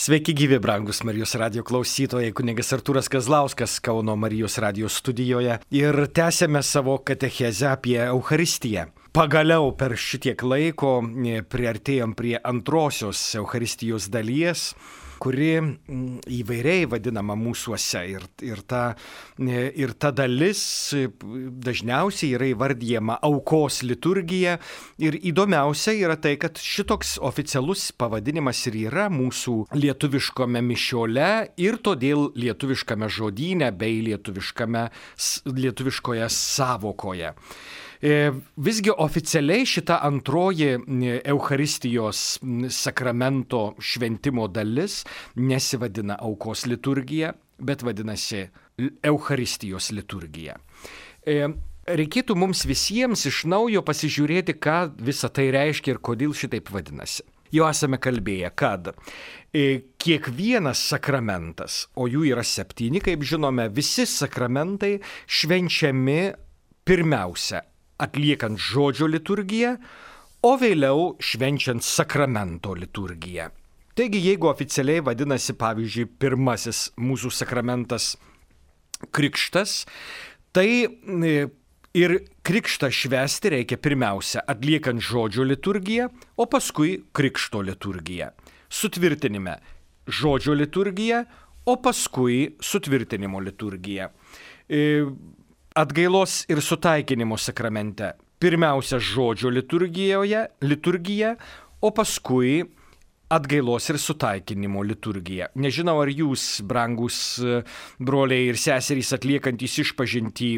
Sveiki gyvi, brangus Marijos radijo klausytojai, kunigas Artūras Kazlauskas Kauno Marijos radijo studijoje ir tęsėme savo katechezę apie Eucharistiją. Pagaliau per šitiek laiko priartėjom prie antrosios Eucharistijos dalies, kuri įvairiai vadinama mūsuose ir ta dalis dažniausiai yra įvardyjama aukos liturgija ir įdomiausia yra tai, kad šitoks oficialus pavadinimas ir yra mūsų lietuviškame mišiole ir todėl lietuviškame žodyne bei lietuviškoje sąvokoje. Visgi oficialiai šita antroji Eucharistijos sakramento šventimo dalis nesivadina aukos liturgija, bet vadinasi Eucharistijos liturgija. Reikėtų mums visiems iš naujo pasižiūrėti, ką visa tai reiškia ir kodėl šitaip vadinasi. Jau esame kalbėję, kad kiekvienas sakramentas, o jų yra 7, kaip žinome, visi sakramentai švenčiami pirmiausia atliekant žodžio liturgiją, o vėliau švenčiant sakramento liturgiją. Taigi, jeigu oficialiai vadinasi, pavyzdžiui, pirmasis mūsų sakramentas krikštas, tai ir krikštą švęsti reikia pirmiausia atliekant žodžio liturgiją, o paskui krikšto liturgiją. Sutvirtinime žodžio liturgiją, o paskui sutvirtinimo liturgiją. Atgailos ir sutaikinimo sakramente pirmiausia žodžio liturgija, o paskui atgailos ir sutaikinimo liturgija. Nežinau, ar jūs, brangus broliai ir seserys atliekantys išpažintį,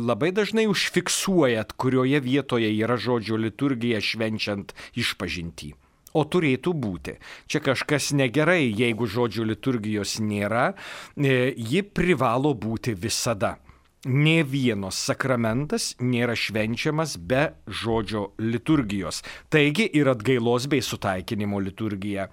labai dažnai užfiksuojat, kurioje vietoje yra žodžio liturgija švenčiant išpažintį. O turėtų būti. Čia kažkas negerai, jeigu žodžio liturgijos nėra, ji privalo būti visada. Nė vienas sakramentas nėra švenčiamas be žodžio liturgijos. Taigi ir atgailos bei sutaikinimo liturgija.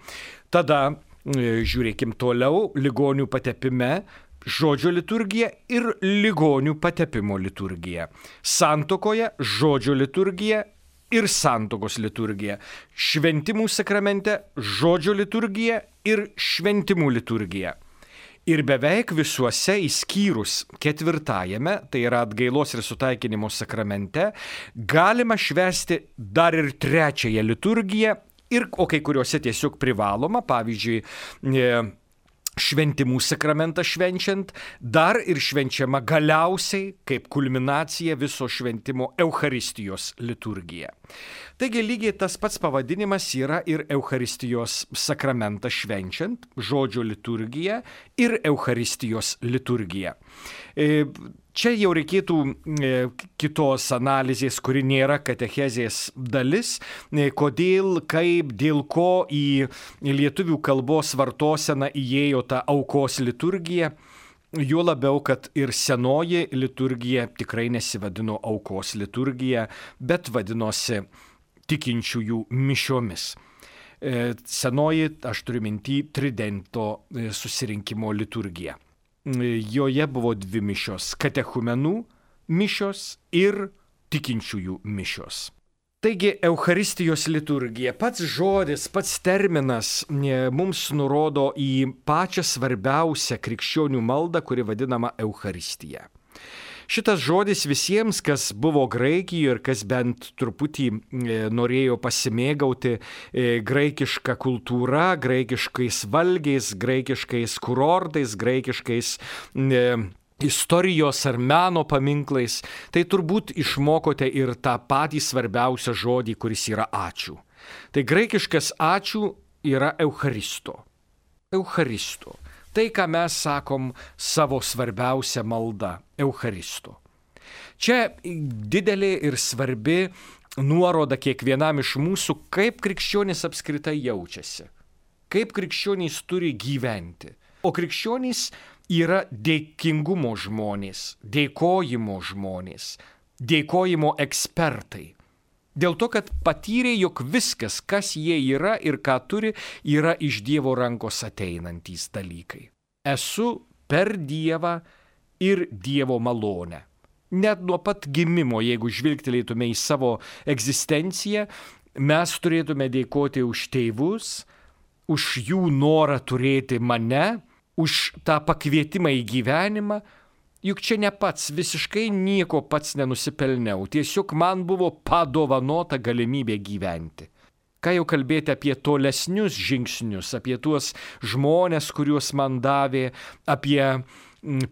Tada, žiūrėkim toliau, ligonių patepime žodžio liturgija ir ligonių patepimo liturgija. Santuokoje žodžio liturgija ir santuokos liturgija. Šventimų sakramente žodžio liturgija ir šventimų liturgija. Ir beveik visuose išskyrus 4, tai yra atgailos ir sutaikinimo sakramente, galima švęsti dar ir 3 liturgiją, o kai kuriuose tiesiog privaloma, pavyzdžiui, šventimų sakramentą švenčiant, dar ir švenčiama galiausiai kaip kulminacija viso šventimo Eucharistijos liturgija. Taigi lygiai tas pats pavadinimas yra ir Eucharistijos sakramentą švenčiant, žodžio liturgija ir Eucharistijos liturgija. Čia jau reikėtų kitos analizės, kuri nėra katechezės dalis, kodėl, kaip, dėl ko į lietuvių kalbos vartoseną įėjo ta aukos liturgija. Juo labiau, kad ir senoji liturgija tikrai nesivadino aukos liturgija, bet vadinosi tikinčiųjų mišiomis. Senoji, aš turiu minty, Tridento susirinkimo liturgija. Joje buvo 2 mišios – katechumenų mišios ir tikinčiųjų mišios. Taigi, Eucharistijos liturgija, pats žodis, pats terminas mums nurodo į pačią svarbiausią krikščionių maldą, kuri vadinama Eucharistija. Šitas žodis visiems, kas buvo Graikijoje ir kas bent truputį norėjo pasimėgauti graikišką kultūrą, graikiškais valgiais, graikiškais kurortais, graikiškais istorijos ar meno paminklais, tai turbūt išmokote ir tą patį svarbiausią žodį, kuris yra ačiū. Tai graikiškas ačiū yra Eucharisto. Eucharisto. Tai, ką mes sakom savo svarbiausią maldą – Eucharisto. Čia didelė ir svarbi nuoroda kiekvienam iš mūsų, kaip krikščionys apskritai jaučiasi, kaip krikščionys turi gyventi. O krikščionys yra dėkingumo žmonės, dėkojimo žmonės, dėkojimo ekspertai. Dėl to, kad patyrė, jog viskas, kas jie yra ir ką turi, yra iš Dievo rankos ateinantys dalykai. Esu per Dievą ir Dievo malonę. Net nuo pat gimimo, jeigu žvilgtelėtume į savo egzistenciją, mes turėtume dėkoti už tėvus, už jų norą turėti mane, už tą pakvietimą į gyvenimą, juk čia ne pats, visiškai nieko pats nenusipelniau, tiesiog man buvo padovanota galimybė gyventi. Ką jau kalbėti apie tolesnius žingsnius, apie tuos žmonės, kuriuos man davė, apie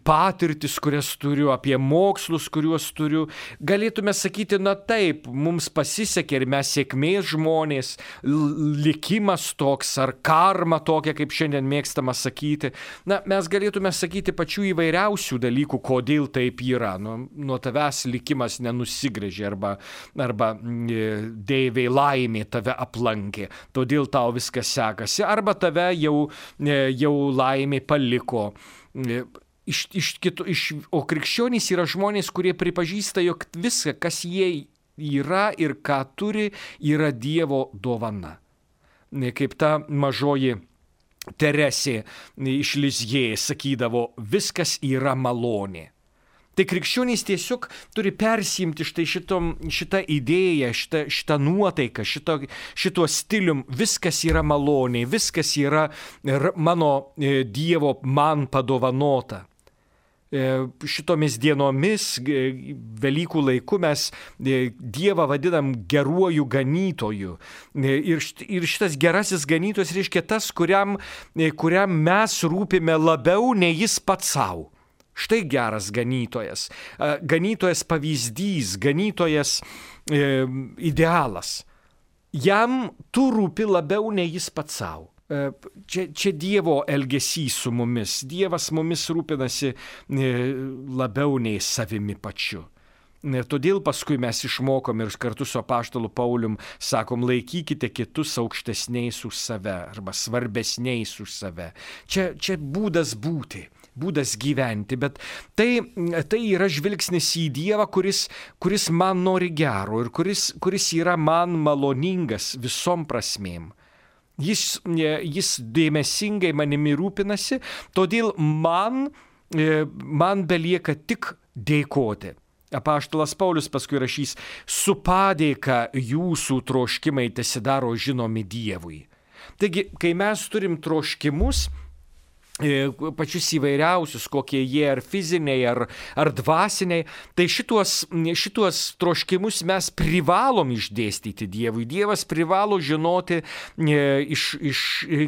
patirtis, kurias turiu, apie mokslus, kuriuos turiu. Galėtume sakyti, na taip, mums pasisekė ir mes sėkmės žmonės, likimas toks ar karma tokia, kaip šiandien mėgstama sakyti. Na, mes galėtume sakyti pačių įvairiausių dalykų, kodėl taip yra. Nuo tavęs likimas nenusigrėžė arba deivė laimė tave aplankė, todėl tau viskas sekasi, arba tave jau laimė paliko. O krikščionys yra žmonės, kurie pripažįsta, jog viską, kas jie yra ir ką turi, yra Dievo dovana. Kaip ta mažoji Teresė iš Lizjė sakydavo, viskas yra malonė. Tai krikščionys tiesiog turi persiimti šitą idėją, šitą nuotaiką, šituo stilium. Viskas yra malonė, viskas yra mano Dievo man padovanota. Šitomis dienomis, Velykų laiku mes Dievą vadinam geruoju ganytoju. Ir šitas gerasis ganytojas reiškia tas, kuriam mes rūpime labiau nei jis pats savo. Štai geras ganytojas. Ganytojas pavyzdys, ganytojas idealas. Jam tu rūpi labiau nei jis pats savo. Čia Dievo elgesys su mumis. Dievas mumis rūpinasi labiau nei savimi pačiu. Todėl paskui mes išmokom ir kartu su apaštalu Paulium sakom, laikykite kitus aukštesniais už save arba svarbesniais už save. Čia būdas būti, būdas gyventi, bet tai yra žvilgsnis į Dievą, kuris man nori gero ir kuris yra man maloningas visom prasmėm. Jis dėmesingai manimi rūpinasi, todėl man belieka tik dėkoti. Apaštalas Paulius paskui rašys, su padėka jūsų troškimai tesidaro žinomi Dievui. Taigi, kai mes turim troškimus, pačius įvairiausius, kokie jie ar fiziniai, ar dvasiniai, tai šituos troškimus mes privalom išdėstyti Dievui. Dievas privalo žinoti,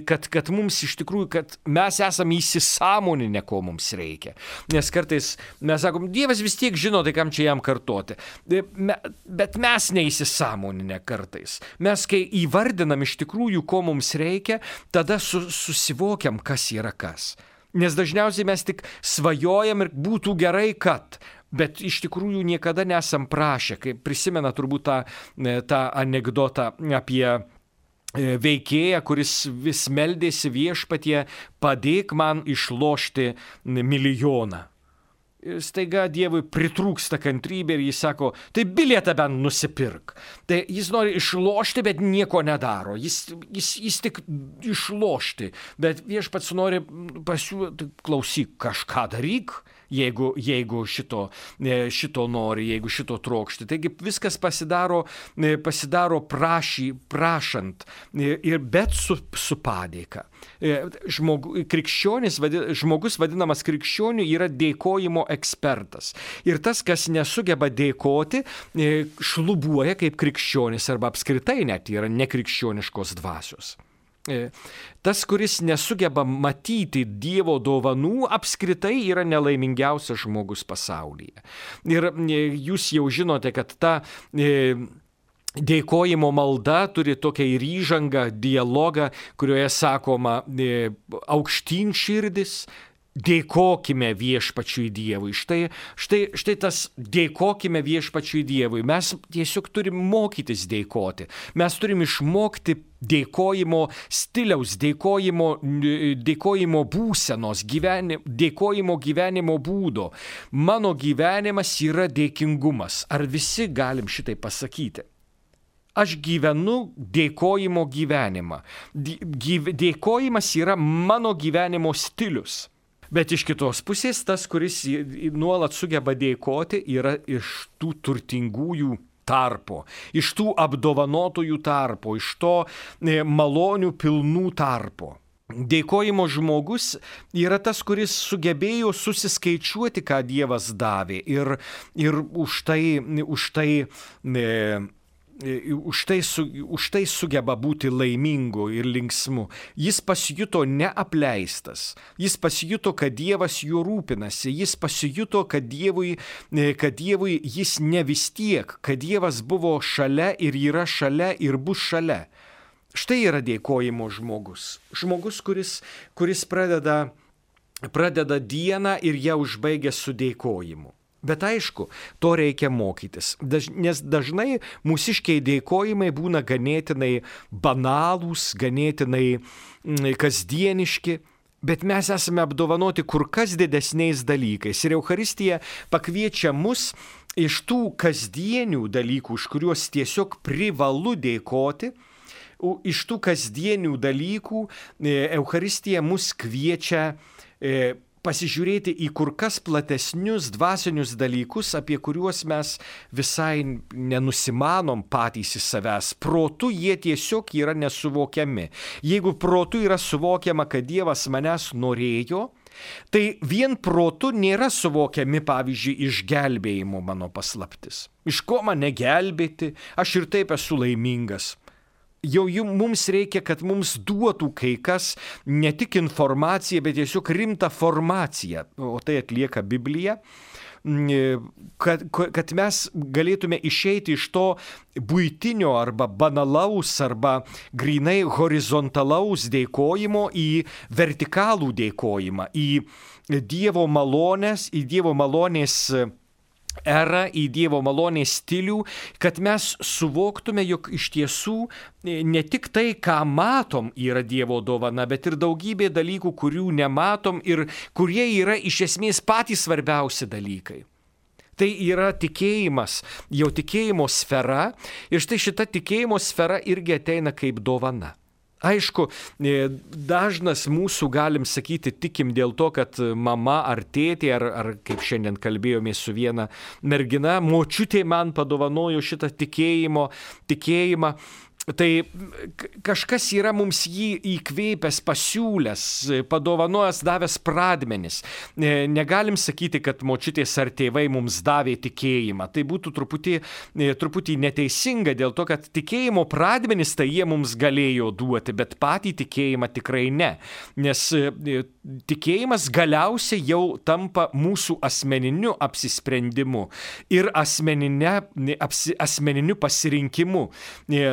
kad mums iš tikrųjų, kad mes esame įsisąmoninę, ko mums reikia. Nes kartais mes sakom, Dievas vis tiek žino, tai kam čia jam kartoti. Bet mes neįsisąmoninę kartais. Mes, kai įvardinam iš tikrųjų, ko mums reikia, tada susivokiam, kas yra kas. Nes dažniausiai mes tik svajojam ir būtų gerai, kad, bet iš tikrųjų niekada nesam prašę. Kaip prisimena turbūt tą anekdotą apie veikėją, kuris vis meldėsi viešpatie, padėk man išlošti milijoną. Staiga Dievui pritrūksta kantrybė ir jis sako, tai bilietą bent nusipirk. Tai jis nori išlošti, bet nieko nedaro. Jis tik išlošti, bet viešpats nori pasiūlyti, klausyk, kažką daryk, jeigu šito nori, jeigu šito trokšti. Taigi viskas pasidaro prašant, bet su padėka. Žmogus vadinamas krikščioniu yra dėkojimo ekspertas. Ir tas, kas nesugeba dėkoti, šlubuoja kaip krikščionis arba apskritai net yra nekrikščioniškos dvasios. Tas, kuris nesugeba matyti Dievo dovanų, apskritai yra nelaimingiausias žmogus pasaulyje. Ir jūs jau žinote, kad ta dėkojimo malda turi tokią ir įžangą, dialogą, kurioje sakoma aukštyn širdis, dėkokime viešpačiui Dievui. Štai tas dėkokime viešpačiui Dievui. Mes tiesiog turim mokytis dėkoti. Mes turim išmokti dėkojimo stiliaus, dėkojimo būsenos, dėkojimo gyvenimo būdo. Mano gyvenimas yra dėkingumas. Ar visi galim šitai pasakyti? Aš gyvenu dėkojimo gyvenimą. Dėkojimas yra mano gyvenimo stilius. Bet iš kitos pusės tas, kuris nuolat sugeba dėkoti, yra iš tų turtingųjų tarpo, iš tų apdovanotųjų tarpo, iš to malonių pilnų tarpo. Dėkojimo žmogus yra tas, kuris sugebėjo susiskaičiuoti, ką Dievas davė ir už tai sugeba būti laimingu ir linksmu. Jis pasijuto neapleistas, jis pasijuto, kad Dievas juo rūpinasi, jis pasijuto, kad Dievui jis ne vis tiek, kad Dievas buvo šalia ir yra šalia ir bus šalia. Štai yra dėkojimo žmogus. Žmogus, kuris pradeda dieną ir ją užbaigia su dėkojimu. Bet aišku, to reikia mokytis, nes dažnai mūsiškiai dėkojimai būna ganėtinai banalūs, ganėtinai kasdieniški, bet mes esame apdovanoti kur kas didesniais dalykais. Ir Eucharistija pakviečia mus iš tų kasdienių dalykų, už kuriuos tiesiog privalu dėkoti, iš tų kasdienių dalykų Eucharistija mus kviečia pasižiūrėti į kur kas platesnius dvasinius dalykus, apie kuriuos mes visai nenusimanom patys iš savęs. Protu jie tiesiog yra nesuvokiami. Jeigu protu yra suvokiama, kad Dievas manęs norėjo, tai vien protu nėra suvokiami, pavyzdžiui, išgelbėjimo mano paslaptis. Iš ko mane gelbėti, aš ir taip esu laimingas. Jau mums reikia, kad mums duotų kai kas ne tik informaciją, bet tiesiog rimtą formaciją, o tai atlieka Biblija, kad mes galėtume išeiti iš to buitinio arba banalaus arba grynai horizontalaus dėkojimo į vertikalų dėkojimą, į Dievo malonės, į Dievo malonės erą, į Dievo malonės stilių, kad mes suvoktume, jog iš tiesų ne tik tai, ką matom, yra Dievo dovana, bet ir daugybė dalykų, kurių nematom ir kurie yra iš esmės patys svarbiausi dalykai. Tai yra tikėjimas, jau tikėjimo sfera, ir štai šita tikėjimo sfera irgi ateina kaip dovana. Aišku, dažnas mūsų, galim sakyti, tikim dėl to, kad mama ar tėtė, ar kaip šiandien kalbėjome su viena mergina, močiutė man padovanojo šitą tikėjimą. Tai kažkas yra mums jį įkvėpęs, pasiūlęs, padovanojęs, davęs pradmenis. Negalim sakyti, kad močiutės ar tėvai mums davė tikėjimą. Tai būtų truputį neteisinga dėl to, kad tikėjimo pradmenis tai jie mums galėjo duoti, bet patį tikėjimą tikrai ne. Nes tikėjimas galiausiai jau tampa mūsų asmeniniu apsisprendimu ir asmeniniu pasirinkimu.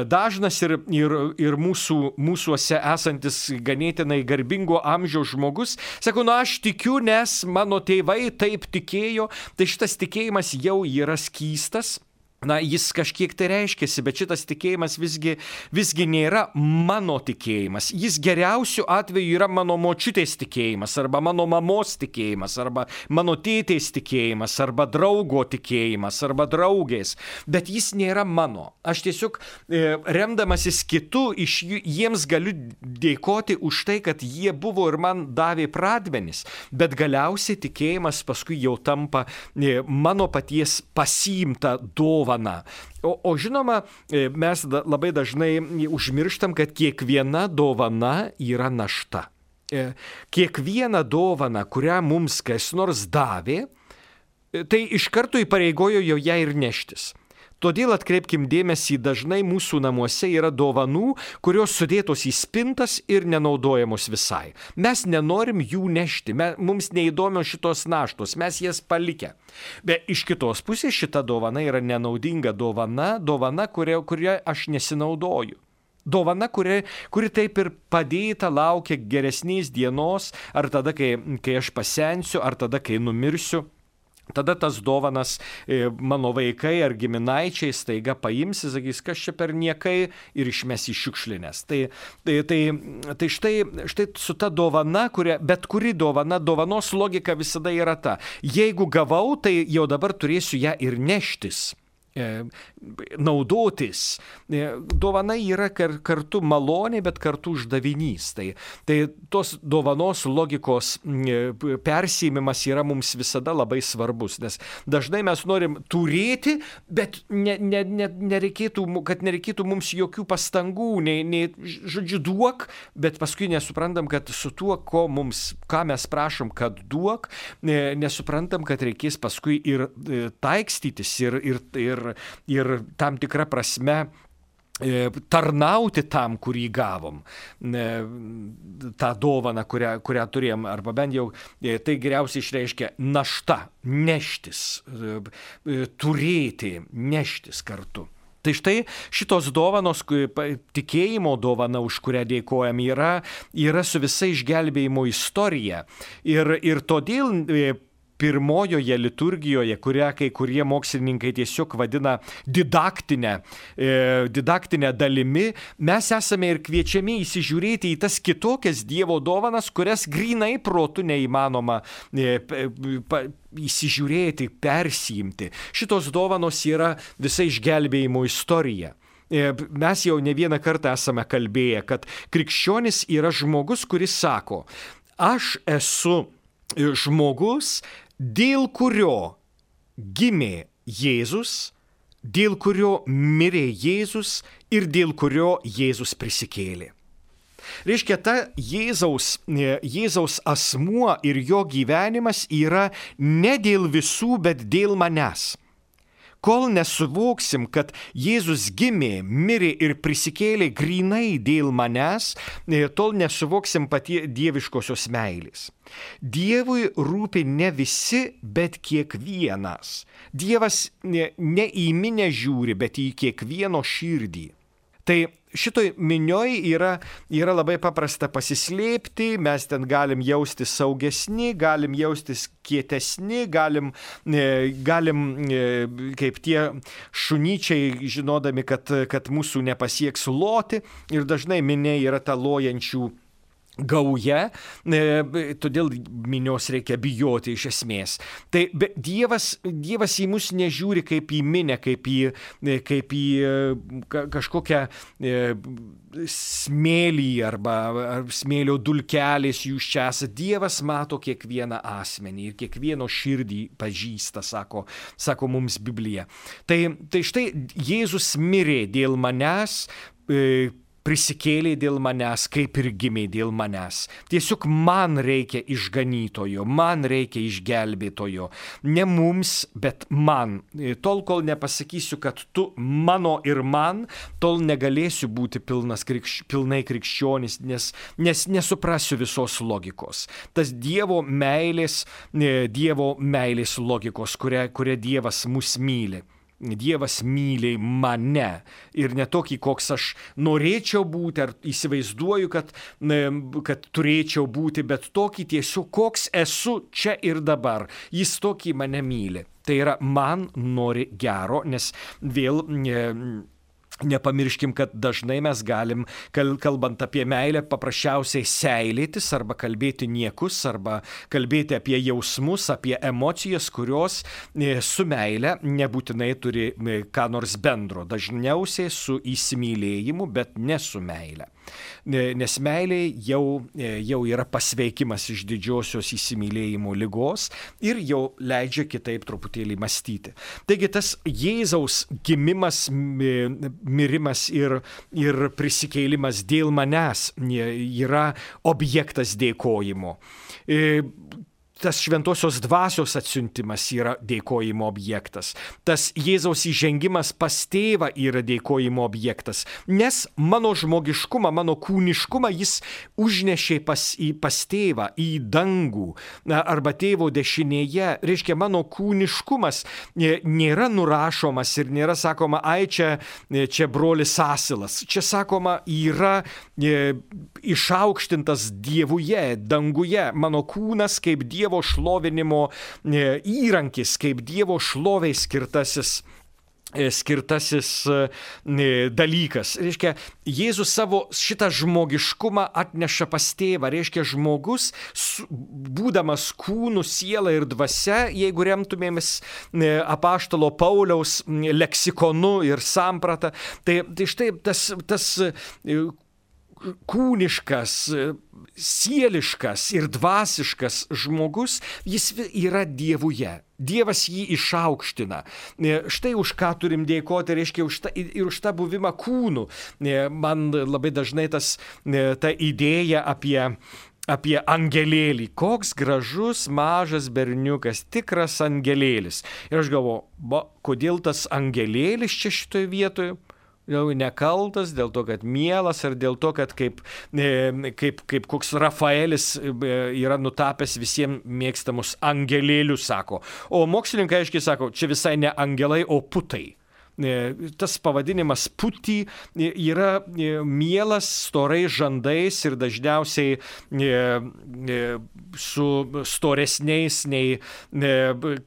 Dažnas ir mūsuose esantis ganėtinai garbingo amžiaus žmogus sako, aš tikiu, nes mano tėvai taip tikėjo, tai šitas tikėjimas jau yra skystas. Jis kažkiek tai reiškiasi, bet šitas tikėjimas visgi nėra mano tikėjimas. Jis geriausiu atveju yra mano močiutės tikėjimas, arba mano mamos tikėjimas, arba mano tėtės tikėjimas, arba draugo tikėjimas, arba draugės. Bet jis nėra mano. Aš tiesiog remdamasis kitu, jiems galiu dėkoti už tai, kad jie buvo ir man davė pradmenis. Bet galiausiai tikėjimas paskui jau tampa mano paties pasiimta dovana. O žinoma, mes labai dažnai užmirštam, kad kiekviena dovana yra našta. Kiekviena dovana, kurią mums kas nors davė, tai iš karto įpareigojo jau ją ir neštis. Todėl atkreipkim dėmesį, dažnai mūsų namuose yra dovanų, kurios sudėtos į spintas ir nenaudojamos visai. Mes nenorim jų nešti, mums neįdomios šitos naštos, mes jas palikę. Bet iš kitos pusės šita dovana yra nenaudinga dovana, kuria aš nesinaudoju. Dovana, kuri taip ir padėta laukia geresnės dienos, ar tada, kai aš pasensiu, ar tada, kai numirsiu. Tada tas dovanas mano vaikai ar giminaičiai staiga paims, sakys, kas čia per niekai ir išmes į šiukšlines. Tai štai su ta dovana, bet kuri dovanos logika visada yra ta. Jeigu gavau, tai jau dabar turėsiu ją ir neštis. naudotis. Dovana yra kartu malonė, bet kartu uždavinys. Tai tos dovanos logikos persiėmimas yra mums visada labai svarbus, nes dažnai mes norim turėti, bet nereikėtų mums jokių pastangų, žodžiu, duok, bet paskui nesuprantam, kad su tuo, ką mes prašom, kad duok, nesuprantam, kad reikės paskui ir taikstytis ir tam tikrą prasme tarnauti tam, kurį gavom, tą dovaną, kurią turėjom, arba bent jau tai geriausiai išreiškia našta, neštis, turėti, neštis kartu. Tai štai šitos dovanos, tikėjimo dovana, už kurią dėkojam, yra su visa išgelbėjimo istorija. Ir todėl pirmojoje liturgijoje, kurią kai kurie mokslininkai tiesiog vadina didaktinę dalimi, mes esame ir kviečiami įsižiūrėti į tas kitokias Dievo dovanas, kurias grinai protu neįmanoma įsižiūrėti, persiimti. Šitos dovanos yra visa išgelbėjimo istorija. Mes jau ne vieną kartą esame kalbėję, kad krikščionis yra žmogus, kuris sako, aš esu žmogus, dėl kurio gimė Jėzus, dėl kurio mirė Jėzus ir dėl kurio Jėzus prisikėlė. Reiškia, ta Jėzaus asmuo ir jo gyvenimas yra ne dėl visų, bet dėl manęs. Kol nesuvoksim, kad Jėzus gimė, mirė ir prisikėlė grinai dėl manęs, tol nesuvoksim patie dieviškosios meilės. Dievui rūpi ne visi, bet kiekvienas. Dievas ne į minę žiūri, bet į kiekvieno širdį. Tai šitoj minioj yra labai paprasta pasislėpti, mes ten galim jaustis saugesni, galim jaustis kietesni, galim kaip tie šunyčiai, žinodami, kad mūsų nepasieks loti, ir dažnai minė yra ta lojančių gauja, todėl minios reikia bijoti iš esmės. Tai Dievas į mus nežiūri kaip į minę, kaip į kažkokią smėlį arba smėlio dulkelės jūs čia esate. Dievas mato kiekvieną asmenį ir kiekvieno širdį pažįsta, sako mums Biblija. Tai štai Jėzus mirė dėl manęs, prisikėlė dėl manęs, kaip ir gimė dėl manęs. Tiesiog man reikia išganytojo, man reikia išgelbėtojo. Ne mums, bet man. Tol, kol nepasakysiu, kad tu mano ir man, tol negalėsiu būti pilnai krikščionis, nes nesuprasiu visos logikos. Tas Dievo meilės logikos, kuria Dievas mus myli. Dievas myli mane ir ne tokį, koks aš norėčiau būti ar įsivaizduoju, kad turėčiau būti, bet tokį tiesiog, koks esu čia ir dabar. Jis tokį mane myli. Tai yra, man nori gero, nes vėl nepamirškim, kad dažnai mes galim, kalbant apie meilę, paprasčiausiai seilėtis arba kalbėti niekus, arba kalbėti apie jausmus, apie emocijas, kurios su meile nebūtinai turi ką nors bendro. Dažniausiai su įsimylėjimu, bet ne su meile. Nes meilė jau yra pasveikimas iš didžiosios įsimylėjimo ligos ir jau leidžia kitaip truputėlį mąstyti. Taigi tas Jėzaus gimimas, mirimas ir prisikėlimas dėl manęs yra objektas dėkojimo. Tas šventosios dvasios atsiuntimas yra dėkojimo objektas. Tas Jėzaus įžengimas pas tėvą yra dėkojimo objektas. Nes mano žmogiškumą, mano kūniškumą jis užnešė pas tėvą į dangų arba tėvo dešinėje. Reiškia, mano kūniškumas nėra nurašomas ir nėra sakoma, ai čia brolis Asilas. Čia sakoma, yra išaukštintas Dievuje, danguje. Mano kūnas kaip Dievo šlovinimo įrankis, kaip Dievo šloviai skirtasis skirtasis dalykas. Reiškia, Jėzus savo šitą žmogiškumą atneša pas tėvą. Reiškia, žmogus, būdamas kūnu, siela ir dvasia, jeigu remtumėmis apaštalo Pauliaus leksikonu ir samprata, tai štai tas kūniškas, sieliškas ir dvasiškas žmogus, jis yra Dievuje. Dievas jį išaukština. Štai už ką turim dėkoti, reiškia, už tą buvimą kūnų. Man labai dažnai ta idėja apie angelėlį. Koks gražus, mažas berniukas, tikras angelėlis. Ir aš galvoju, kodėl tas angelėlis čia šitoje vietoje? Jau nekaltas, dėl to, kad mielas, ar dėl to, kad kaip koks Rafaelis yra nutapęs visiems mėgstamus angelėlius, sako. O mokslininkai aiškiai sako, čia visai ne angelai, o putai. Tas pavadinimas putį yra mielas, storais žandais ir dažniausiai su storesniais nei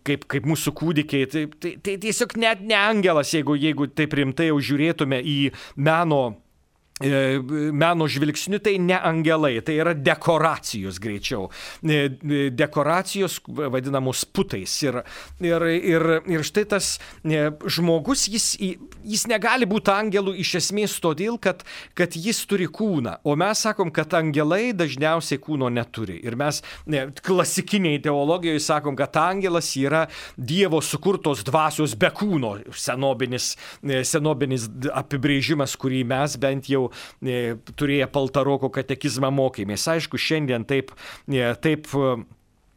kaip mūsų kūdikiai. Tai tiesiog net ne angelas, jeigu taip rimtai jau žiūrėtume į meno žvilgsniu, tai ne angelai, tai yra dekoracijos greičiau. Dekoracijos vadinamos putais. Ir štai tas žmogus, jis negali būti angelų iš esmės todėl, kad jis turi kūną. O mes sakom, kad angelai dažniausiai kūno neturi. Ir mes klasikiniai teologijoje sakom, kad angelas yra Dievo sukurtos dvasios be kūno. Senobinis apibrėžimas, kurį mes bent jau turėję Paltaroko katekizmą mokėmės. Aišku, šiandien taip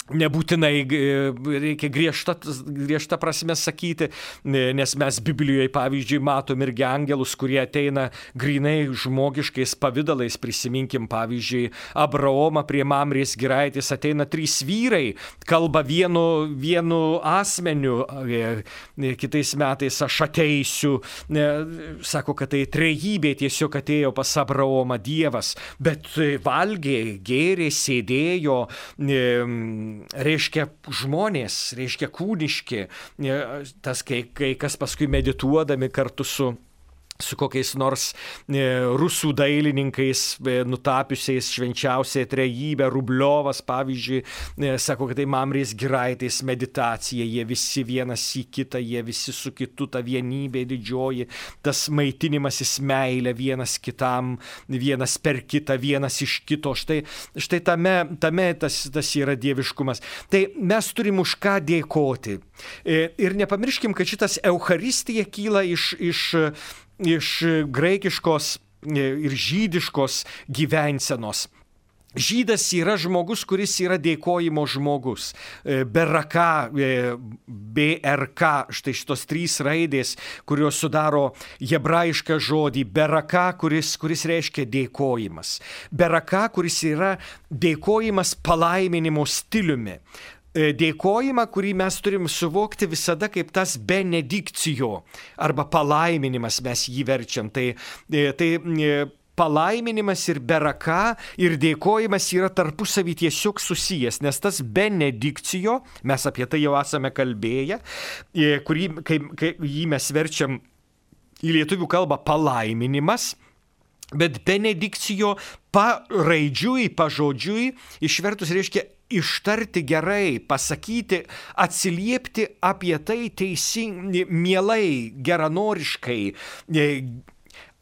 nebūtinai reikia griežta prasme sakyti, nes mes Biblijoje, pavyzdžiui, matom irgi angelus, kurie ateina grinai žmogiškais pavidalais. Prisiminkim, pavyzdžiui, Abraomą prie Mamrės giraitės ateina 3 vyrai, kalba vienu asmeniu, kitais metais aš ateisiu, sako, kad tai trejybė tiesiog atėjo pas Abraomą Dievas, bet valgė, gėrė, sėdėjo, reiškia žmonės, reiškia kūniški, tas kai kas paskui medituodami kartu su kokiais nors rusų dailininkais nutapiusiais švenčiausią trejybę, Rubliovas, pavyzdžiui, sako, kad tai Mamrės giraitės meditacija, jie visi vienas į kitą, jie visi su kitu, ta vienybė didžioji, tas maitinimasis meilė vienas kitam, vienas per kitą, vienas iš kito. Štai tame tas yra dieviškumas. Tai mes turim už ką dėkoti. Ir nepamirškim, kad šitas Eucharistija kyla iš graikiškos ir žydiškos gyvensenos. Žydas yra žmogus, kuris yra dėkojimo žmogus. Beraka, BRK, štai šitos 3 raidės, kurios sudaro hebrajišką žodį. Beraka, kuris reiškia dėkojimas. Beraka, kuris yra dėkojimas palaiminimo stiliumi. Dėkojimą, kurį mes turim suvokti visada kaip tas benedikcijo arba palaiminimas, mes jį verčiam. Tai palaiminimas ir beraka ir dėkojimas yra tarpusavy tiesiog susijęs, nes tas benedikcijo, mes apie tai jau esame kalbėję, kai jį mes verčiam į lietuvių kalbą palaiminimas, bet benedikcijo paraidžiui, pažodžiui išvertus reiškia ištarti gerai, pasakyti, atsiliepti apie tai teisingai, mielai, geranoriškai,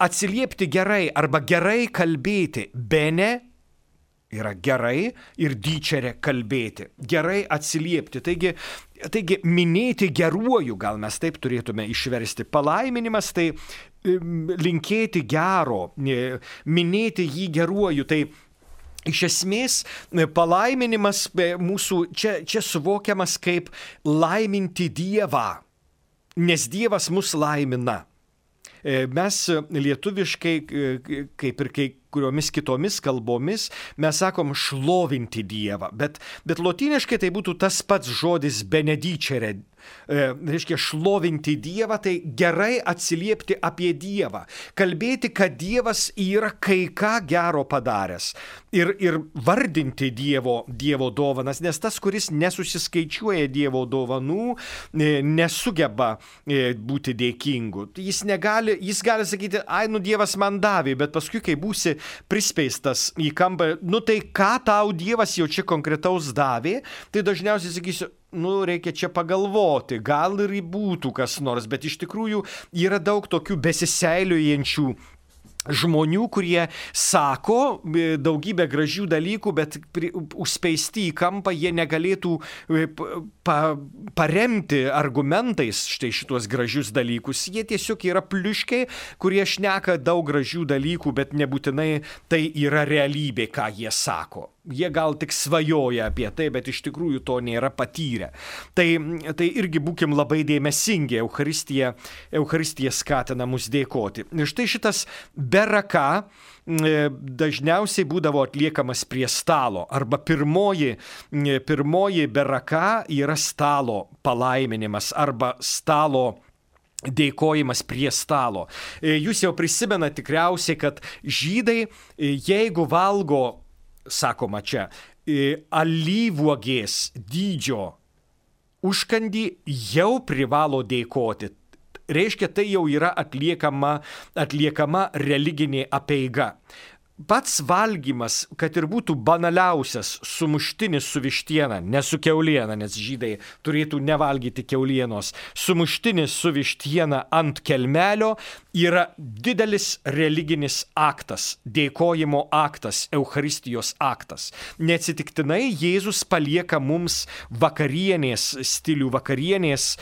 atsiliepti gerai arba gerai kalbėti. Bene yra gerai ir dyčerė kalbėti. Gerai atsiliepti. Taigi minėti geruoju, gal mes taip turėtume išversti. Palaiminimas tai linkėti gero, minėti jį geruoju. Tai iš esmės palaiminimas mūsų čia suvokiamas kaip laiminti Dievą, nes Dievas mus laimina. Mes lietuviškai, kaip ir kuriomis kitomis kalbomis mes sakom šlovinti Dievą, bet lotyniškai tai būtų tas pats žodis benedicere. Reiškia, šlovinti Dievą, tai gerai atsiliepti apie Dievą, kalbėti, kad Dievas yra kai ką gero padaręs ir vardinti Dievo dovanas, nes tas, kuris nesusiskaičiuoja Dievo dovanų, nesugeba būti dėkingu. Jis gali sakyti, Dievas man davė, bet paskui, kai būsi prispeistas į kampą, tai ką tau Dievas jau čia konkretaus davė, tai dažniausiai sakysiu, reikia čia pagalvoti, gal ir būtų kas nors, bet iš tikrųjų yra daug tokių besiseiliojančių žmonių, kurie sako daugybę gražių dalykų, bet užspeisti į kampą jie negalėtų paremti argumentais štai šitos gražius dalykus. Jie tiesiog yra pliuškiai, kurie šneka daug gražių dalykų, bet nebūtinai tai yra realybė, ką jie sako. Jie gal tik svajoja apie tai, bet iš tikrųjų to nėra patyrę. Tai irgi būkim labai dėmesingi, Eucharistija skatina mus dėkoti. Ir štai šitas beraka dažniausiai būdavo atliekamas prie stalo, arba pirmoji beraka yra stalo palaiminimas, arba stalo dėkojimas prie stalo. Jūs jau prisimenate tikriausiai, kad žydai, jeigu valgo, sakoma čia, alyvuogės dydžio užkandį, jau privalo dėkoti. Reiškia, tai jau yra atliekama religinė apeiga. Pats valgymas, kad ir būtų banaliausias sumuštinis su vištiena, ne su kiauliena, nes žydai turėtų nevalgyti kiaulienos, sumuštinis su vištiena ant kelmelio yra didelis religinis aktas, dėkojimo aktas, Eucharistijos aktas. Neatsitiktinai Jėzus palieka mums vakarienės stilių, vakarienės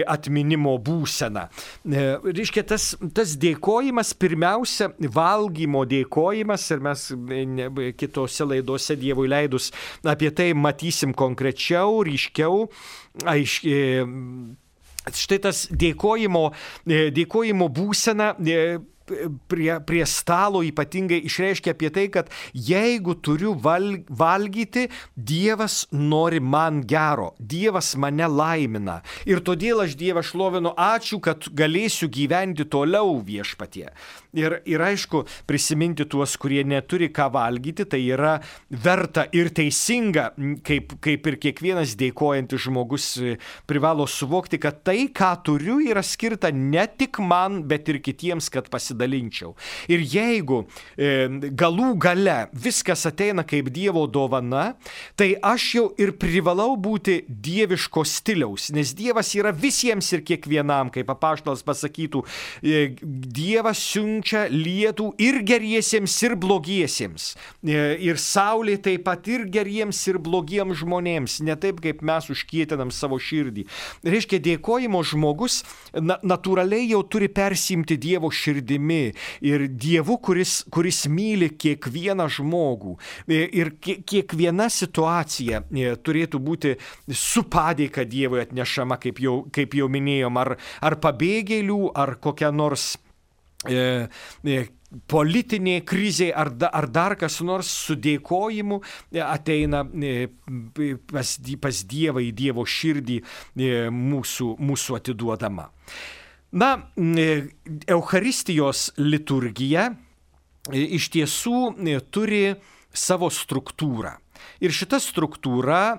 atminimo būseną. Reiškia, tas dėkojimas, pirmiausia, valgymo dėkojimas, ir mes kitose laidose Dievui leidus apie tai matysim konkrečiau, ryškiau, aiškiai. Štai tas dėkojimo būsena prie stalo ypatingai išreiškia apie tai, kad jeigu turiu valgyti, Dievas nori man gero, Dievas mane laimina. Ir todėl aš Dievą šlovinu, ačiū, kad galėsiu gyventi toliau viešpatie. Ir aišku, prisiminti tuos, kurie neturi ką valgyti, tai yra verta ir teisinga, kaip ir kiekvienas dėkojantis žmogus privalo suvokti, kad tai, ką turiu, yra skirta ne tik man, bet ir kitiems, kad pasidalinčiau. Ir jeigu galų gale viskas ateina kaip Dievo dovana, tai aš jau ir privalau būti dieviško stiliaus, nes Dievas yra visiems ir kiekvienam, kaip apaštalas pasakytų, Dievas siunčia lietų ir geriesiems, ir blogiesiems. Ir saulė taip pat ir geriems, ir blogiems žmonėms, ne taip, kaip mes užkietinam savo širdį. Reiškia, dėkojimo žmogus natūraliai jau turi persimti Dievo širdimi ir Dievu, kuris myli kiekvieną žmogų. Ir kiekviena situacija turėtų būti su padėka Dievui atnešama, kaip jau minėjom, ar pabėgėlių, ar kokia nors politinė krizė ar dar kas nors su dėkojimu ateina pas Dievą į Dievo širdį mūsų atiduodama. Eucharistijos liturgija iš tiesų turi savo struktūrą. Ir šita struktūra,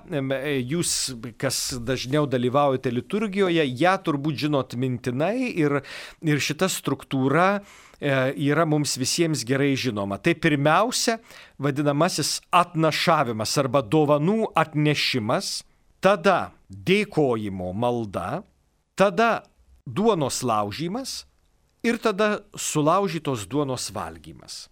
jūs, kas dažniau dalyvaujate liturgijoje, ją turbūt žinot mintinai ir šita struktūra yra mums visiems gerai žinoma. Tai pirmiausia, vadinamasis atnašavimas arba dovanų atnešimas, tada dėkojimo malda, tada duonos laužymas ir tada sulaužytos duonos valgymas.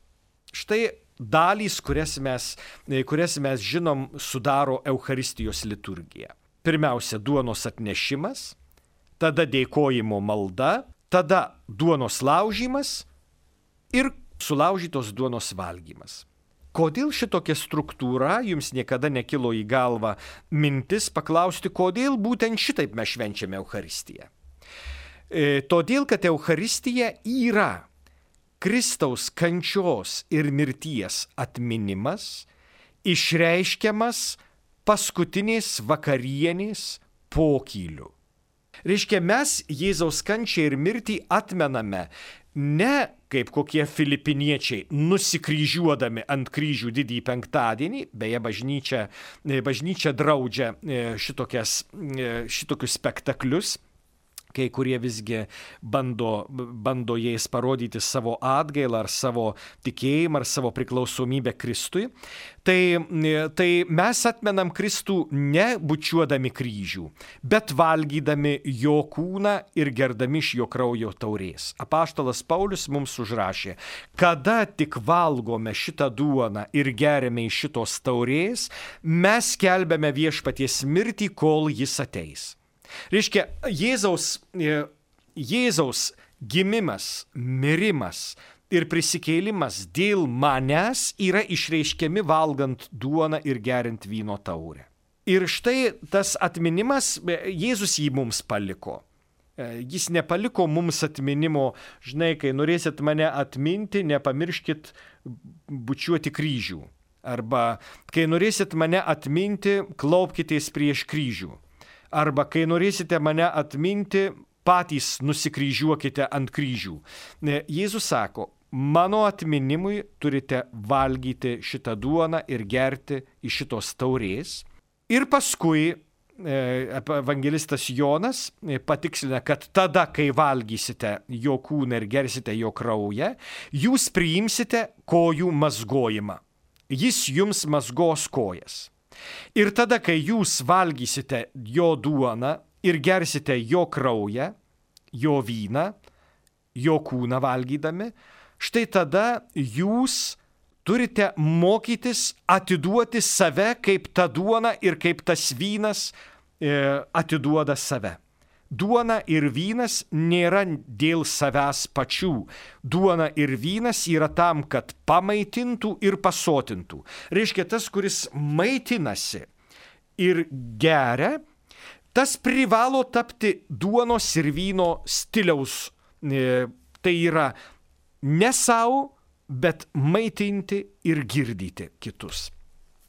Štai dalys, kurias mes žinom, sudaro Eucharistijos liturgija. Pirmiausia, duonos atnešimas, tada dėkojimo malda, tada duonos laužymas ir sulaužytos duonos valgymas. Kodėl šitokia struktūra, jums niekada nekilo į galvą mintis paklausti, kodėl būtent šitaip mes švenčiame Eucharistiją? Todėl, kad Eucharistija yra Kristaus kančios ir mirties atminimas išreiškiamas paskutinės vakarienės pokyliu. Reiškia, mes Jėzaus kančią ir mirtį atmename ne kaip kokie filipiniečiai, nusikryžiuodami ant kryžių didįjį penktadienį, beje, bažnyčia draudžia šitokius spektaklius, kai kurie visgi bando jais parodyti savo atgailą ar savo tikėjimą ar savo priklausomybę Kristui, tai mes atmenam Kristų ne bučiuodami kryžių, bet valgydami jo kūną ir gerdami iš jo kraujo taurės. Apaštalas Paulius mums užrašė, kada tik valgome šitą duoną ir geriame iš šitos taurės, mes skelbiame viešpaties mirtį, kol jis ateis. Reiškia, Jėzaus gimimas, mirimas ir prisikėlimas dėl manęs yra išreiškiami valgant duoną ir geriant vyno taurę. Ir štai tas atminimas, Jėzus jį mums paliko. Jis nepaliko mums atminimo, žinai, kai norėsit mane atminti, nepamirškit bučiuoti kryžių. Arba kai norėsit mane atminti, klaupkitės prieš kryžių. Arba kai norėsite mane atminti, patys nusikryžiuokite ant kryžių. Jėzus sako, mano atminimui turite valgyti šitą duoną ir gerti iš šitos taurės. Ir paskui evangelistas Jonas patikslina, kad tada, kai valgysite jo kūną ir gersite jo kraują, jūs priimsite kojų mazgojimą. Jis jums mazgos kojas. Ir tada, kai jūs valgysite jo duoną ir gersite jo kraują, jo vyną, jo kūną valgydami, štai tada jūs turite mokytis atiduoti save, kaip ta duona ir kaip tas vynas atiduoda save. Duona ir vynas nėra dėl savęs pačių. Duona ir vynas yra tam, kad pamaitintų ir pasotintų. Reiškia, tas, kuris maitinasi ir geria, tas privalo tapti duonos ir vyno stiliaus. Tai yra ne savo, bet maitinti ir girdyti kitus.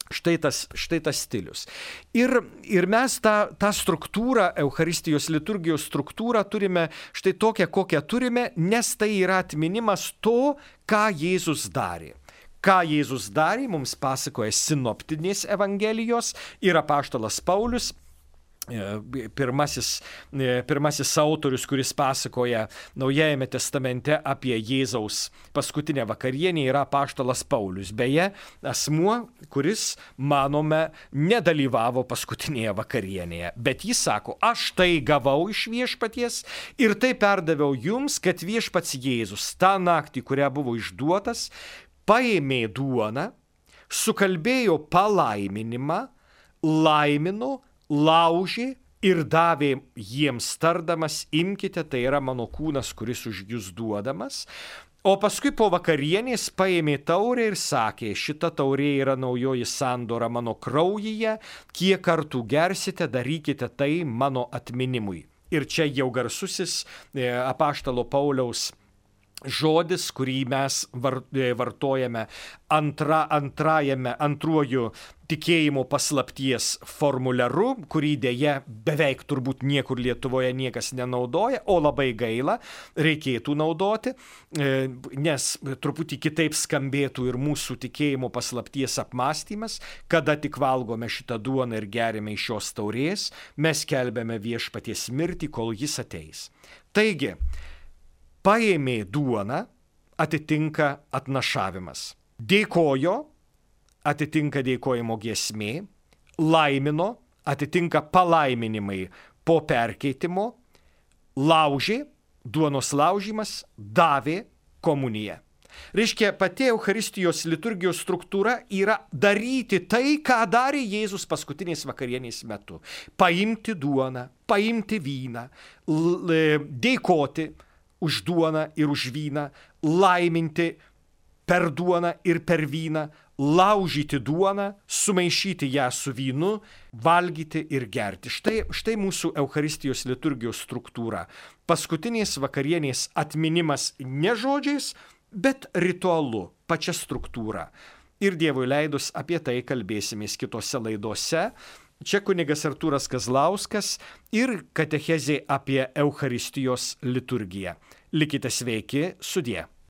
Štai tas stilius. Ir mes tą struktūrą, Eucharistijos liturgijos struktūrą turime štai tokią, kokią turime, nes tai yra atminimas to, ką Jėzus darė. Ką Jėzus darė, mums pasakoja sinoptinės evangelijos ir apaštalas Paulius, pirmasis autorius, kuris pasakoja Naujajame testamente apie Jėzaus paskutinę vakarienę, yra apaštalas Paulius. Beje, asmuo, kuris, manome, nedalyvavo paskutinėje vakarienėje. Bet jis sako, aš tai gavau iš viešpaties ir tai perdaviau jums, kad viešpats Jėzus tą naktį, kurią buvo išduotas, paėmė duoną, sukalbėjo palaiminimą, laimino, laužė ir davė jiems tardamas, imkite, tai yra mano kūnas, kuris už jūs duodamas. O paskui po vakarienės paėmė taurę ir sakė, šita taurė yra naujoji sandora mano kraujyje, kiek kartų gersite, darykite tai mano atminimui. Ir čia jau garsusis apaštalo Pauliaus žodis, kurį mes vartojame antruoju tikėjimo paslapties formuliaru, kurį dėja beveik turbūt niekur Lietuvoje niekas nenaudoja, o labai gaila, reikėtų naudoti, nes truputį kitaip skambėtų ir mūsų tikėjimo paslapties apmąstymas, kada tik valgome šitą duoną ir gerime iš šios taurės, mes skelbiame viešpaties mirtį, kol jis ateis. Taigi, paėmė duoną, atitinka atnašavimas. Dėkojo, atitinka dėkojimo giesmė. Laimino, atitinka palaiminimai po perkeitimo. Laužė, duonos laužymas, davė komuniją. Reiškia, pati Eucharistijos liturgijos struktūra yra daryti tai, ką darė Jėzus paskutinės vakarienės metu. Paimti duoną, paimti vyną, dėkoti už duoną ir už vyną, laiminti per duoną ir per vyną, laužyti duoną, sumaišyti ją su vynu, valgyti ir gerti. Štai mūsų Eucharistijos liturgijos struktūra. Paskutinės vakarienės atminimas ne žodžiais, bet ritualu, pačia struktūra. Ir Dievui leidus apie tai kalbėsimės kitose laidose. Čia kunigas Artūras Kazlauskas ir katechezė apie Eucharistijos liturgiją. Likite sveiki, sudie.